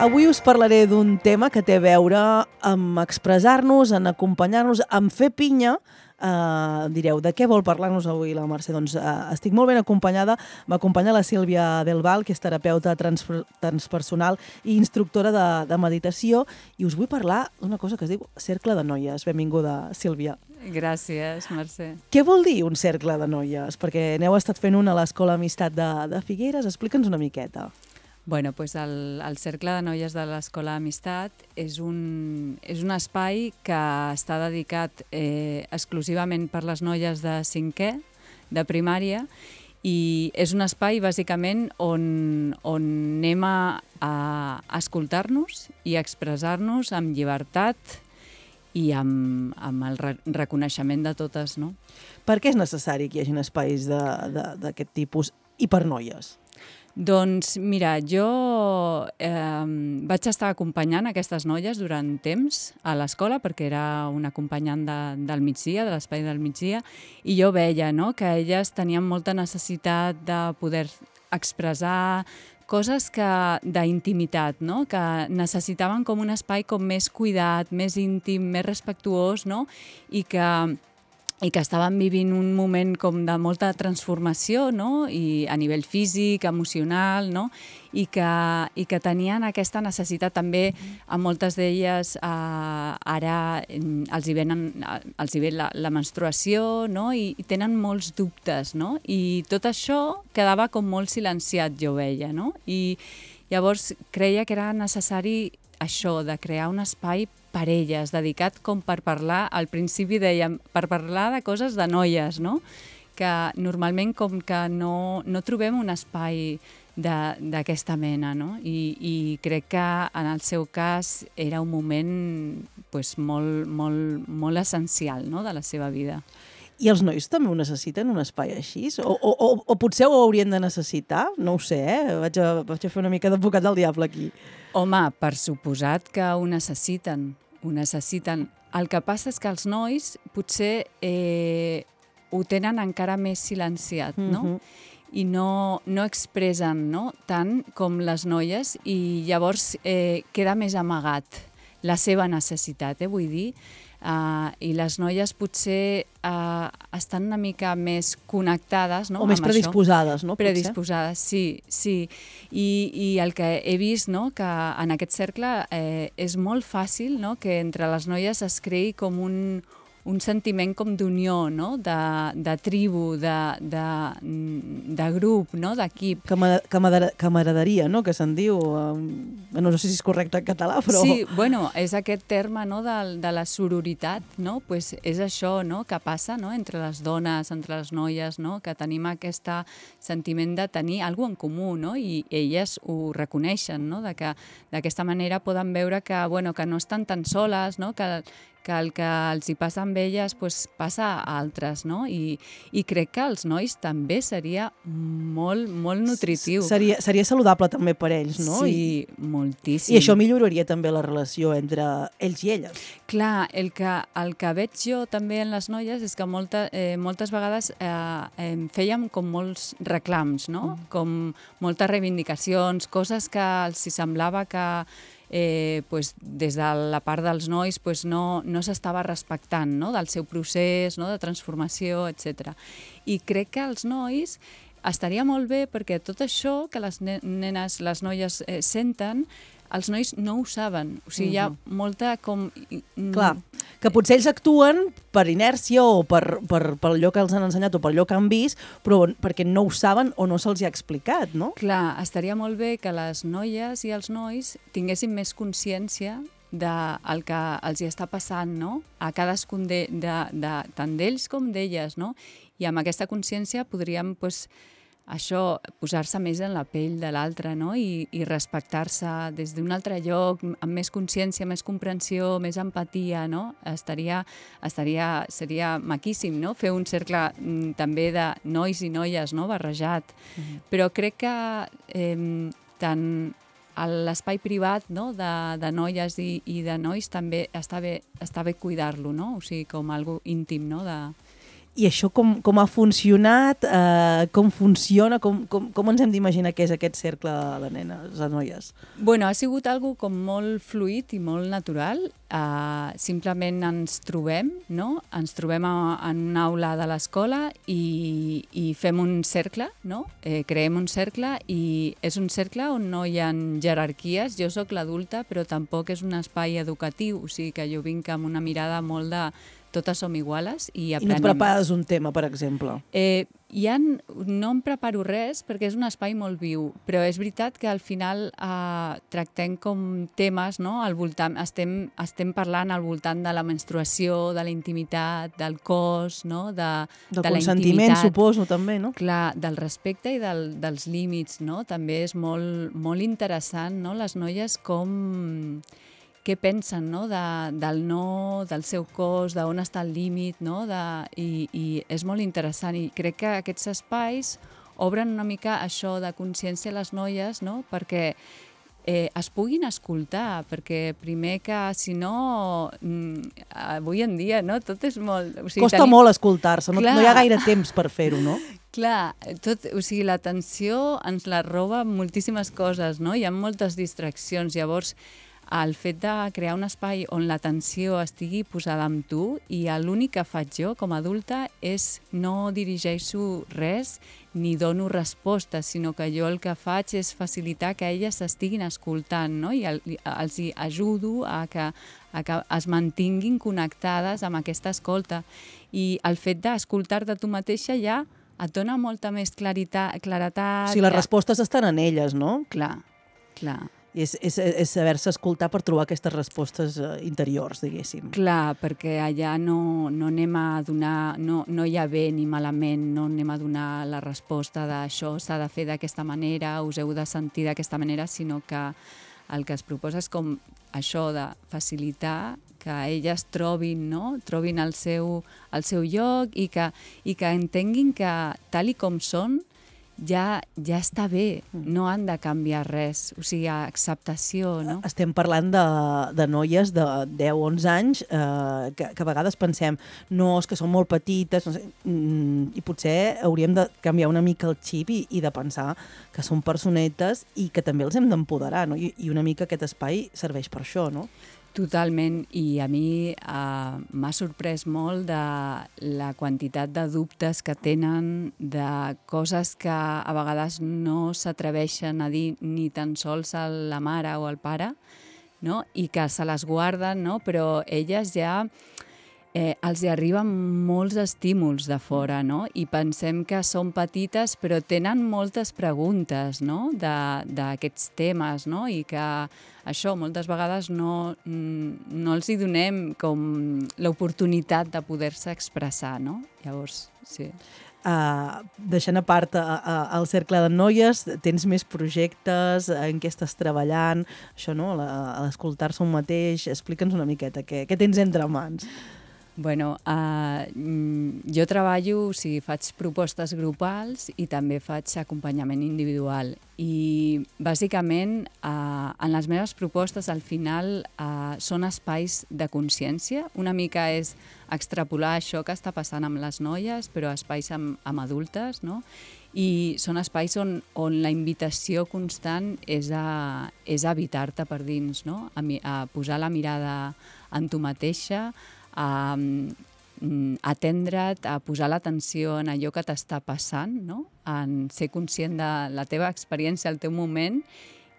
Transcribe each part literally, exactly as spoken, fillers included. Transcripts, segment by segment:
Avui us parlaré d'un tema que té a veure amb expressar-nos, en acompanyar-nos, en fer pinya. Uh, direu, de què vol parlar-nos avui la Mercè? Doncs uh, estic molt ben acompanyada. M'acompanya la Sílvia Del Val, que és terapeuta transper transpersonal i instructora de, de meditació, i us vull parlar d'una cosa que es diu cercle de noies. Benvinguda, Sílvia. Gràcies, Mercè. Què vol dir un cercle de noies? Perquè n'heu estat fent una a l'Escola Amistat de, de Figueres. Explica'ns una miqueta. Bueno, pues el, el Cercle de Noies de l'Escola Amistat és un, és un espai que està dedicat eh, exclusivament per les noies de cinquè, de primària, i és un espai, bàsicament, on, on anem a, a escoltar-nos i a expressar-nos amb llibertat i amb, amb el re reconeixement de totes, no? Per què és necessari que hi hagi espais d'aquest tipus i per noies? Doncs mira, jo eh, vaig estar acompanyant aquestes noies durant temps a l'escola perquè era una acompanyant de, del migdia, de l'espai del migdia, i jo veia, no?, que elles tenien molta necessitat de poder expressar coses d'intimitat, no?, que necessitaven com un espai com més cuidat, més íntim, més respectuós, no?, i que i que estaven vivint un moment com de molta transformació, no?, i a nivell físic, emocional, no?, i que, i que tenien aquesta necessitat també, a moltes d'elles eh, ara els hi, venen, els hi ve la, la menstruació, no?, i, i tenen molts dubtes, no?, i tot això quedava com molt silenciat, jo veia, no?, i llavors creia que era necessari això, de crear un espai per elles, dedicat com per parlar, al principi dèiem, per parlar de coses de noies, no?, que normalment com que no, no trobem un espai d'aquesta mena, no?, I, i crec que en el seu cas era un moment pues, molt, molt, molt essencial, no?, de la seva vida. I els nois també ho necessiten, un espai així? O, o, o, o potser ho haurien de necessitar? No ho sé, eh? Vaig a, vaig a fer una mica d'advocat del diable aquí. Home, per suposat que ho necessiten, ho necessiten. El que passa és que els nois potser eh, ho tenen encara més silenciat, no? Uh-huh. I no, no expressen, no?, tant com les noies, i llavors eh, queda més amagat la seva necessitat, eh, vull dir. Uh, I les noies potser uh, estan una mica més connectades, no?, o més amb predisposades, això. no? Predisposades, sí, sí. I, I el que he vist, no?, que en aquest cercle eh, és molt fàcil, no?, que entre les noies es creï com un, un sentiment com d'unió, no?, de, de tribu, de, de, de grup, no?, d'equip. Camaraderia, no?, que se'n diu. No sé si és correcte en català, però... Sí, bueno, és aquest terme, no?, de, de la sororitat, no?, pues és això, no?, que passa, no?, entre les dones, entre les noies, no?, que tenim aquest sentiment de tenir alguna cosa en comú, no?, i elles ho reconeixen, no?, de que d'aquesta manera poden veure que, bueno, que no estan tan soles, no?, que que el que els hi passa amb elles pues, passa a altres, no? I, i crec que als nois també seria molt, molt nutritiu. Seria, seria saludable també per ells, no? Sí, I, moltíssim. I això milloraria també la relació entre ells i elles. Clar, el que, el que veig jo també en les noies és que molta, eh, moltes vegades eh, eh, fèiem com molts reclams, no? Mm. Com moltes reivindicacions, coses que els hi semblava que Eh, pues, des de la part dels nois pues, no, no s'estava respectant, no?, del seu procés, no?, de transformació, etcètera. I crec que els nois estaria molt bé perquè tot això que les nenes, les noies eh, senten, els nois no ho saben. O sigui, uh-huh. hi ha molta com... Clar, que potser ells actuen per inèrcia o per, per, per allò que els han ensenyat o per allò que han vist, però perquè no ho saben o no se'ls ha explicat, no? Clar, estaria molt bé que les noies i els nois tinguessin més consciència del que els hi està passant, no?, a cadascun de, de, de, tant d'ells com d'elles, no? I amb aquesta consciència podríem, pues, això, posar-se més en la pell de l'altre, no?, i, i respectar-se des d'un altre lloc, amb més consciència, més comprensió, més empatia, no? Estaria, estaria, seria maquíssim, no?, fer un cercle mm, també de nois i noies, no?, barrejat. Mm-hmm. Però crec que eh, tant l'espai privat, no?, de, de noies i, i de nois també està bé, està bé cuidar-lo, no?, o sigui, com algo íntim, no?, de... I això com, com ha funcionat, eh, com funciona, com, com, com ens hem d'imaginar que és aquest cercle de nenes, de noies? Bueno, ha sigut algo com molt fluid i molt natural. Uh, simplement ens trobem, no? Ens trobem a, en una aula de l'escola i, i fem un cercle, no? Eh, creem un cercle i és un cercle on no hi ha jerarquies. Jo sóc l'adulta, però tampoc és un espai educatiu, o sigui que jo vinc amb una mirada molt de totes som iguales i aprenem. I no et prepares un tema, per exemple? Eh, hi ha, no em preparo res perquè és un espai molt viu, però és veritat que al final eh, tractem com temes, no? Al voltant, estem, estem parlant al voltant de la menstruació, de la intimitat, del cos, no? de, del de la consentiment, intimitat. suposo, també, no? Clar, del respecte i del, dels límits, no? També és molt, molt interessant, no? Les noies com què pensen, no? De, del no, del seu cos, d'on està el límit, no? De, i, i és molt interessant i crec que aquests espais obren una mica això de consciència a les noies, no? Perquè eh, es puguin escoltar, perquè primer que, si no, mm, avui en dia, no? Tot és molt... O sigui, Costa tenim... molt escoltar-se, no, no hi ha gaire temps per fer-ho, no? Clar, tot, o sigui, l'atenció ens la roba moltíssimes coses, no? Hi ha moltes distraccions, llavors el fet de crear un espai on l'atenció estigui posada amb tu i l'únic que faig jo com a adulta és no dirigeixo res ni dono respostes, sinó que jo el que faig és facilitar que elles s'estiguin escoltant, no? I el, els hi ajudo a que, a que es mantinguin connectades amb aquesta escolta. I el fet d'escoltar-te tu mateixa ja et dona molta més claritat, claretat... O sigui, les respostes estan en elles, no? Clar, clar. I és, és, és saber-se escoltar per trobar aquestes respostes interiors, diguéssim. Clar, perquè allà no, no anem a donar, no, no hi ha bé ni malament, no anem a donar la resposta d'això s'ha de fer d'aquesta manera, us heu de sentir d'aquesta manera, sinó que el que es proposa és com això de facilitar que elles trobin, no? Trobin el seu, el seu lloc i que, i que entenguin que tal i com són, ja ja està bé, no han de canviar res, o sigui, acceptació, no? Estem parlant de, de noies de deu o onze anys eh, que, que a vegades pensem no, és que són molt petites, no sé, mm, i potser hauríem de canviar una mica el xip i, i de pensar que són personetes i que també els hem d'empoderar, no? I, i una mica aquest espai serveix per això, no? Totalment, i a mi eh, m'ha sorprès molt de la quantitat de dubtes que tenen, de coses que a vegades no s'atreveixen a dir ni tan sols a la mare o al pare, no? I que se les guarden, no? Però elles ja eh, els hi arriben molts estímuls de fora, no? I pensem que són petites, però tenen moltes preguntes, no? D'aquests temes, no? I que això moltes vegades no, no els hi donem com l'oportunitat de poder-se expressar, no? Llavors, sí. Uh, deixant a part uh, uh, el cercle de noies, tens més projectes, en què estàs treballant, això, no? A l'escoltar-se un mateix, explica'ns una miqueta, què, què tens entre mans? Bueno, uh, jo treballo, o sigui, faig propostes grupals i també faig acompanyament individual. I, bàsicament, uh, en les meves propostes, al final, uh, són espais de consciència. Una mica és extrapolar això que està passant amb les noies, però espais amb, amb adultes, no? I són espais on, on la invitació constant és a, és a habitar-te per dins, no? A, a posar la mirada en tu mateixa, a atendre't, a posar l'atenció en allò que t'està passant, no? En ser conscient de la teva experiència, el teu moment,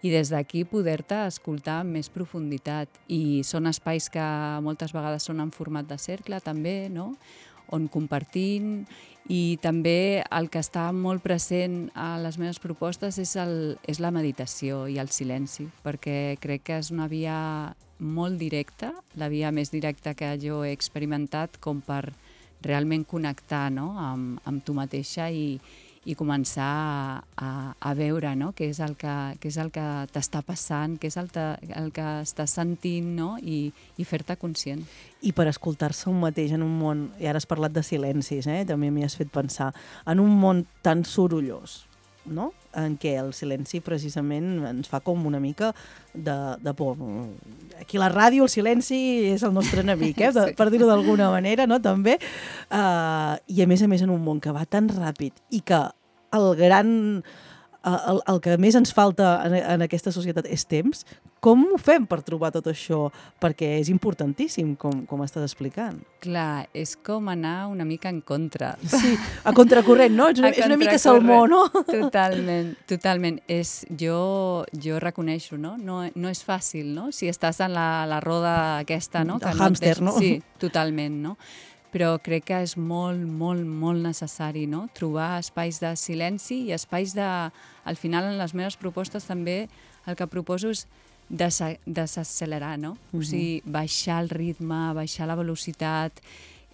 i des d'aquí poder-te escoltar amb més profunditat. I són espais que moltes vegades són en format de cercle, també, no? On compartim, i també el que està molt present a les meves propostes és, el, és la meditació i el silenci, perquè crec que és una via molt directa, la via més directa que jo he experimentat com per realment connectar, no? amb, amb tu mateixa i, i començar a, a, a veure, no? Què és el que, què és el que t'està passant, què és el, te, el que estàs sentint, no? I, i fer-te conscient. I per escoltar-se un mateix en un món, i ara has parlat de silencis, eh? També m'hi has fet pensar, en un món tan sorollós, no? En què el silenci precisament ens fa com una mica de, de por. Aquí a la ràdio el silenci és el nostre enemic, eh? de, sí. per dir-ho d'alguna manera, no? També. Uh, I a més a més en un món que va tan ràpid i que el gran... El, el que més ens falta en, en aquesta societat és temps. Com ho fem per trobar tot això? Perquè és importantíssim, com, com estàs explicant. Clar, és com anar una mica en contra. Sí, a contracorrent, no? És una, és una mica salmó, no? Totalment, totalment. És, jo, jo reconeixo, no? no? No és fàcil, no? Si estàs en la, la roda aquesta, no? Que el hàmster, no? no? Sí, totalment, no? Però crec que és molt, molt, molt necessari, no? Trobar espais de silenci i espais de... Al final, en les meves propostes també el que proposo és desaccelerar, no? Uh-huh. O sigui, baixar el ritme, baixar la velocitat,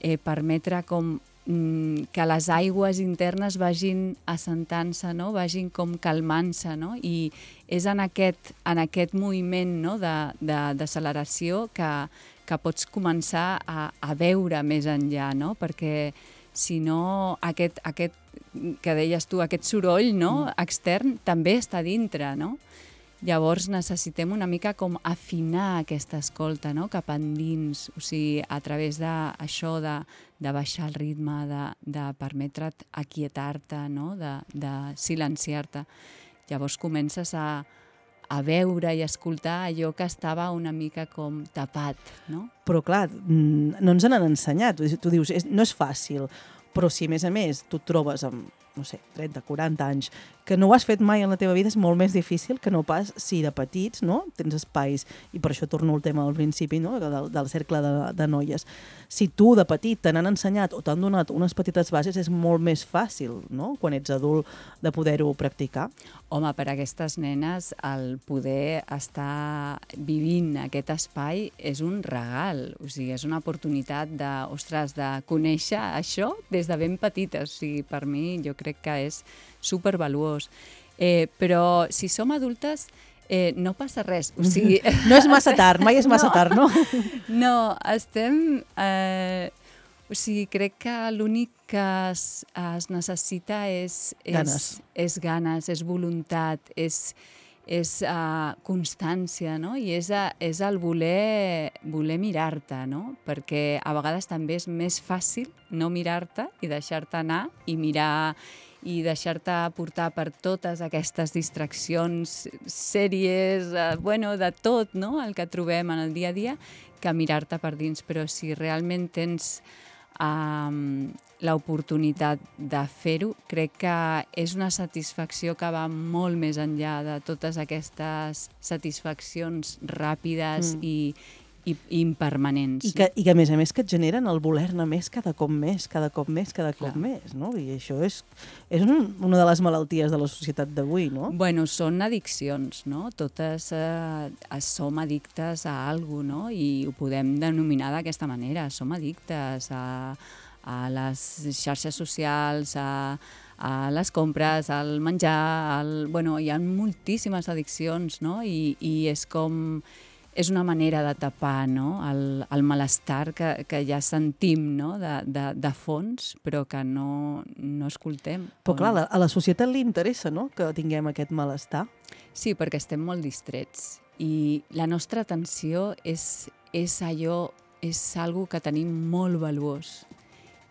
eh, permetre com mm, que les aigües internes vagin assentant-se, no? Vagin com calmant-se, no? I és en aquest, en aquest moviment, no? de, de, d'acceleració que que pots començar a, a veure més enllà, no? Perquè si no, aquest, aquest que deies tu, aquest soroll, no? extern també està dintre, no? Llavors necessitem una mica com afinar aquesta escolta, no? Cap endins, o sigui, a través d'això de, de baixar el ritme, de, de permetre't aquietar-te, no? de, de silenciar-te. Llavors comences a a veure i escoltar allò que estava una mica com tapat, no? Però clar, no ens n'han ensenyat. Tu dius, és, no és fàcil, però si a més a més tu et trobes amb, no sé, trenta, quaranta anys, que no ho has fet mai en la teva vida, és molt més difícil que no pas si de petits, no? Tens espais, i per això torno al tema al principi, no? del, del cercle de, de noies. Si tu de petit te n'han ensenyat o t'han donat unes petites bases, és molt més fàcil, no? Quan ets adult, de poder-ho practicar. Home, per a aquestes nenes el poder estar vivint aquest espai és un regal, o sigui, és una oportunitat de, ostres, de conèixer això des de ben petites. O sigui, per mi jo crec que és supervaluós. Eh, però si som adultes eh, no passa res. O sigui... No és massa tard, mai és massa no, tard, no? No, estem... Eh, o sigui, crec que l'únic que es, es necessita és, és... Ganes. És ganes, és voluntat, és, és uh, constància, no? I és, a, és el voler, voler mirar-te, no? Perquè a vegades també és més fàcil no mirar-te i deixar-te anar i mirar... i deixar-te portar per totes aquestes distraccions, sèries, eh, bueno, de tot, no?, el que trobem en el dia a dia, que mirar-te per dins. Però si realment tens um, l'oportunitat de fer-ho, crec que és una satisfacció que va molt més enllà de totes aquestes satisfaccions ràpides mm. i I, i impermanents. I que, I que, a més a més, que et generen el voler-ne més cada cop més, cada cop més, cada Clar. cop més, no? I això és, és un, una de les malalties de la societat d'avui, no? Bueno, són addiccions, no? Totes eh, som addictes a alguna cosa, no? I ho podem denominar d'aquesta manera. Som addictes a, a les xarxes socials, a, a les compres, al menjar, al... Bueno, hi ha moltíssimes addiccions, no? I, i és com... És una manera de tapar, no?, el, el malestar que, que ja sentim, no?, de, de, de fons, però que no, no escoltem. Però clar, a la societat li interessa, no?, que tinguem aquest malestar. Sí, perquè estem molt distrets i la nostra atenció és, és allò, és algo que tenim molt valuós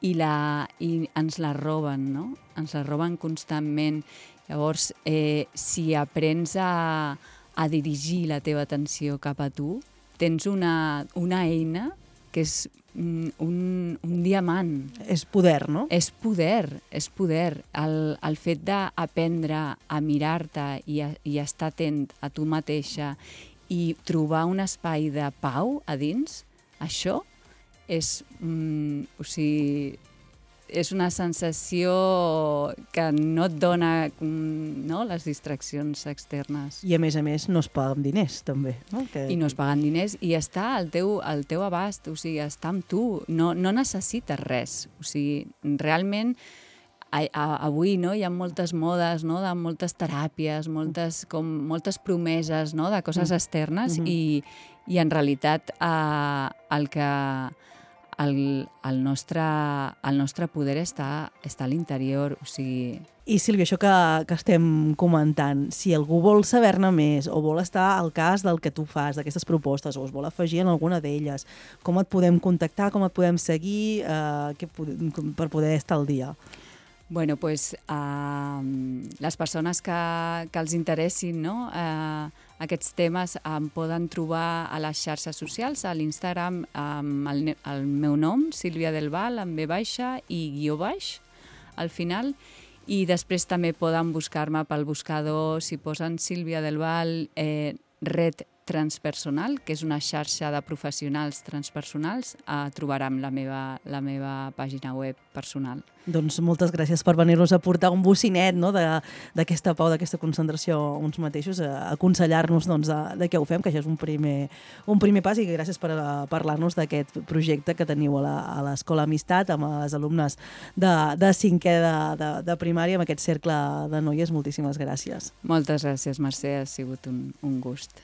i, la, i ens la roben, no?, ens la roben constantment. Llavors, eh, si aprens a a dirigir la teva atenció cap a tu, tens una, una eina que és un, un diamant. És poder, no? És poder, és poder. El, el fet d'aprendre a mirar-te i, a, i estar atent a tu mateixa i trobar un espai de pau a dins, això és, mm, o sigui, és una sensació que no et dona, no?, les distraccions externes. I a més a més no es paguen diners, també. No? Que... I no es paguen diners i està al teu, al teu abast, o sigui, està amb tu, no, no necessites res. O sigui, realment, a, a, avui no, hi ha moltes modes, no?, de moltes teràpies, moltes, com, moltes promeses, no?, de coses externes mm-hmm. i, i en realitat eh, el que... el, el, nostre, el nostre poder està, està a l'interior, o sigui... I Sílvia, això que, que estem comentant, si algú vol saber-ne més o vol estar al cas del que tu fas, d'aquestes propostes, o es vol afegir en alguna d'elles, com et podem contactar, com et podem seguir eh, que, per poder estar al dia? Bueno, pues, uh, les persones que, que els interessin, no? uh, aquests temes em poden trobar a les xarxes socials, a l'Instagram amb el, el meu nom, Sílvia Del Val, amb ve baixa i guió baix al final, i després també poden buscar-me pel buscador, si posen Sílvia Del Val, eh, Red Transpersonal, que és una xarxa de professionals transpersonals, eh, trobaran la meva, la meva pàgina web personal. Doncs moltes gràcies per venir-nos a portar un bocinet, no?, d'aquesta pau, d'aquesta concentració uns mateixos, a aconsellar-nos doncs, de, de què ho fem, que això és un primer, un primer pas, i gràcies per parlar-nos d'aquest projecte que teniu a l'Escola Amistat amb les alumnes de, de cinquè de, de, de primària, amb aquest cercle de noies. Moltíssimes gràcies. Moltes gràcies, Mercè, ha sigut un, un gust.